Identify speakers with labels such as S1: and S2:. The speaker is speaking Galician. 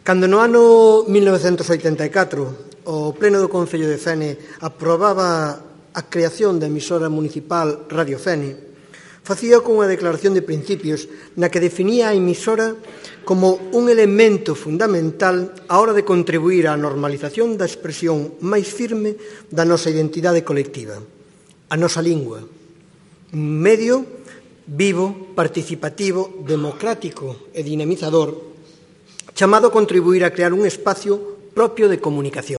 S1: Cando no ano 1984 o Pleno do Concello de Fene aprobaba a creación da emisora municipal Radio Fene, facía con unha declaración de principios na que definía a emisora como un elemento fundamental á hora de contribuir á normalización da expresión máis firme da nosa identidade colectiva, a nosa lingua, un medio vivo, participativo, democrático e dinamizador chamado a contribuir a crear un espacio propio de comunicación.